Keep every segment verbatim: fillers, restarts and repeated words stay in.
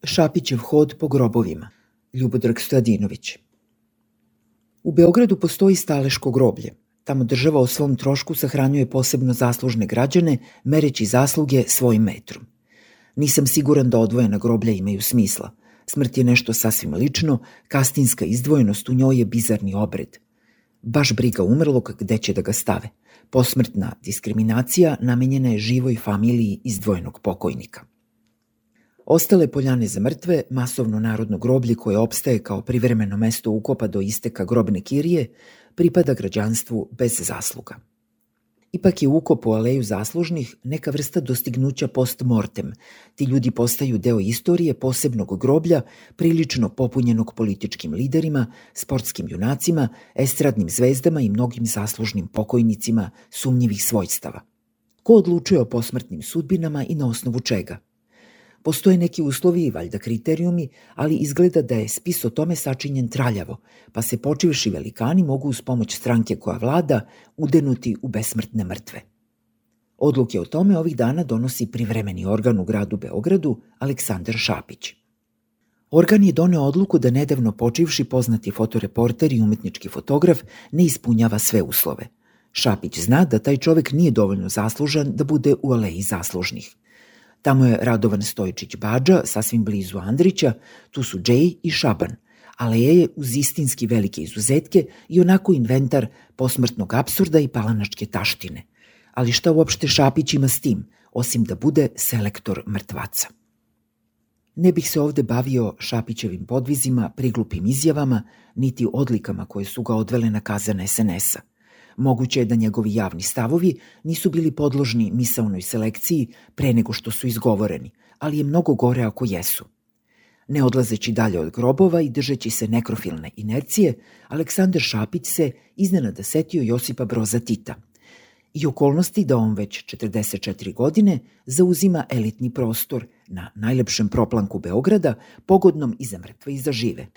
Šapićev hod po grobovima. Ljubodrag Stojadinović. U Beogradu postoji staleško groblje. Tamo država o svom trošku sahranjuje posebno zaslužne građane, mereći zasluge svojim metrom. Nisam siguran da odvojena groblja imaju smisla. Smrt je nešto sasvim lično, kastinska izdvojenost u njoj je bizarni obred. Baš briga umrlog gde će da ga stave. Posmrtna diskriminacija namenjena je živoj familiji izdvojenog pokojnika. Ostale poljane za mrtve, masovno narodno groblje koje opstaje kao privremeno mesto ukopa do isteka grobne kirije, pripada građanstvu bez zasluga. Ipak je ukop u aleju zaslužnih neka vrsta dostignuća post mortem. Ti ljudi postaju deo istorije posebnog groblja, prilično popunjenog političkim liderima, sportskim junacima, estradnim zvezdama i mnogim zaslužnim pokojnicima sumnjivih svojstava. Ko odlučuje o posmrtnim sudbinama i na osnovu čega? Postoje neki uslovi i valjda kriterijumi, ali izgleda da je spis o tome sačinjen traljavo, pa se počivši velikani mogu uz pomoć stranke koja vlada udenuti u besmrtne mrtve. Odluke o tome ovih dana donosi privremeni organ u gradu Beogradu, Aleksandar Šapić. Organ je doneo odluku da nedavno počivši poznati fotoreporter i umetnički fotograf ne ispunjava sve uslove. Šapić zna da taj čovek nije dovoljno zaslužan da bude u aleji zaslužnih. Tamo je Radovan Stojičić Badža, sasvim blizu Andrića, tu su Džej i Šaban. Aleja je uz istinski velike izuzetke i onako inventar posmrtnog apsurda i palanačke taštine. Ali šta uopšte Šapić ima s tim, osim da bude selektor mrtvaca? Ne bih se ovde bavio Šapićevim podvizima, priglupim izjavama, niti odlikama koje su ga odvele na kazan es en es a. Moguće je da njegovi javni stavovi nisu bili podložni misaonoj selekciji pre nego što su izgovoreni, ali je mnogo gore ako jesu. Ne odlazeći dalje od grobova i držeći se nekrofilne inercije, Aleksandar Šapić se iznenada setio Josipa Broza Tita i okolnosti da on već četrdeset četiri godine zauzima elitni prostor na najlepšem proplanku Beograda, pogodnom i za mrtve i za žive.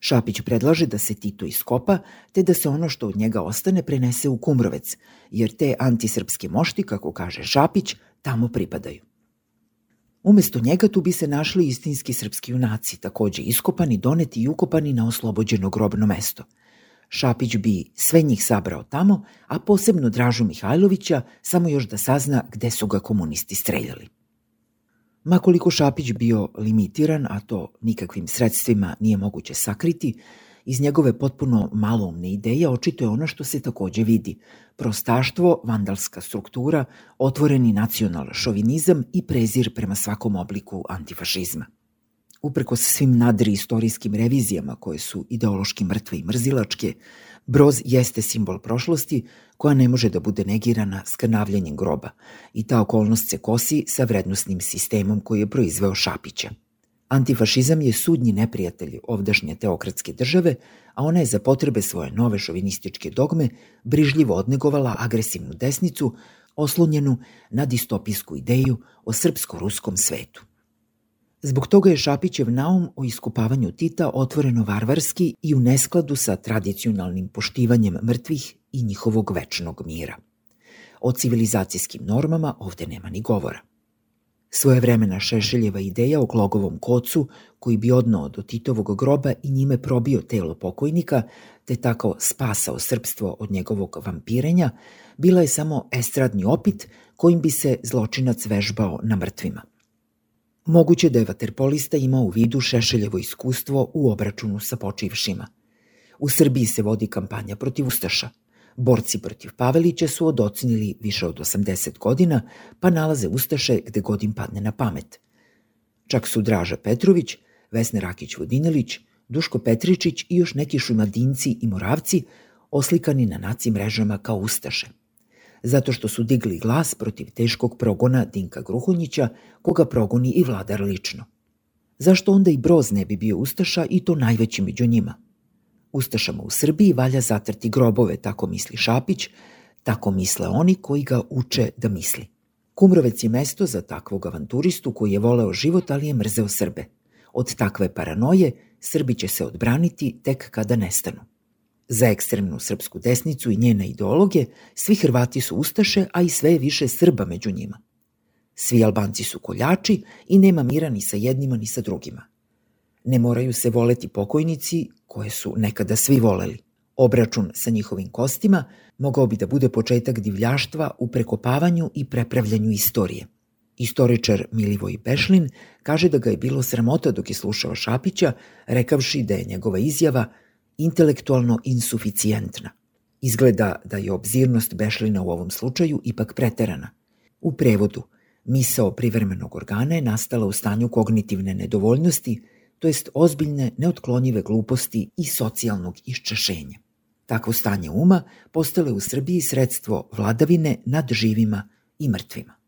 Šapić predlaže da se Tito iskopa, te da se ono što od njega ostane prenese u Kumrovec, jer te antisrpske mošti, kako kaže Šapić, tamo pripadaju. Umesto njega tu bi se našli istinski srpski junaci, takođe iskopani, doneti i ukopani na oslobođeno grobno mesto. Šapić bi sve njih sabrao tamo, a posebno Dražu Mihajlovića, samo još da sazna gde su ga komunisti streljali. Makoliko Šapić bio limitiran, a to nikakvim sredstvima nije moguće sakriti, iz njegove potpuno maloumne ideje očito je ono što se takođe vidi. Prostaštvo, vandalska struktura, otvoreni nacional šovinizam i prezir prema svakom obliku antifašizma. Uprkos svim nadri istorijskim revizijama koje su ideološki mrtve i mrzilačke, Broz jeste simbol prošlosti koja ne može da bude negirana skrnavljanjem groba i ta okolnost se kosi sa vrednosnim sistemom koji je proizveo Šapića. Antifašizam je sudnji neprijatelj ovdašnje teokratske države, a ona je za potrebe svoje nove šovinističke dogme brižljivo odnegovala agresivnu desnicu oslonjenu na distopijsku ideju o srpsko-ruskom svetu. Zbog toga je Šapićev naum o iskopavanju Tita otvoreno varvarski i u neskladu sa tradicionalnim poštivanjem mrtvih i njihovog večnog mira. O civilizacijskim normama ovde nema ni govora. Svojevremena Šešeljeva ideja o Glogovom kocu, koji bi odneo do Titovog groba i njime probio telo pokojnika, te tako spasao srpstvo od njegovog vampirenja, bila je samo estradni opit kojim bi se zločinac vežbao na mrtvima. Moguće da je vaterpolista imao u vidu Šešeljevo iskustvo u obračunu sa počivšima. U Srbiji se vodi kampanja protiv ustaša. Borci protiv Pavelića su odocinili više od osamdeset godina, pa nalaze ustaše gde god im padne na pamet. Čak su Draža Petrović, Vesna Rakić-Vodinelić, Duško Petričić i još neki Šumadinci i Moravci oslikani na naci mrežama kao ustaše. Zato što su digli glas protiv teškog progona Dinka Gruhonjića, koga progoni i vladar lično. Zašto onda i Broz ne bi bio ustaša i to najveći među njima? Ustašama u Srbiji valja zatrti grobove, tako misli Šapić, tako misle oni koji ga uče da misli. Kumrovec je mesto za takvog avanturistu koji je voleo život, ali je mrzeo Srbe. Od takve paranoje Srbi će se odbraniti tek kada nestanu. Za ekstremnu srpsku desnicu i njene ideologe svi Hrvati su ustaše, a i sve je više Srba među njima. Svi Albanci su koljači i nema mira ni sa jednima ni sa drugima. Ne moraju se voleti pokojnici koje su nekada svi voleli. Obračun sa njihovim kostima mogao bi da bude početak divljaštva u prekopavanju i prepravljanju istorije. Istoričar Milivoj Bešlin kaže da ga je bilo sramota dok je slušao Šapića, rekavši da je njegova izjava intelektualno insuficijentna. Izgleda da je obzirnost Bešlina u ovom slučaju ipak preterana. U prevodu, misao privremenog organa je nastala u stanju kognitivne nedovoljnosti, to jest ozbiljne, neotklonjive gluposti i socijalnog iščašenja. Takvo stanje uma postalo je u Srbiji sredstvo vladavine nad živima i mrtvima.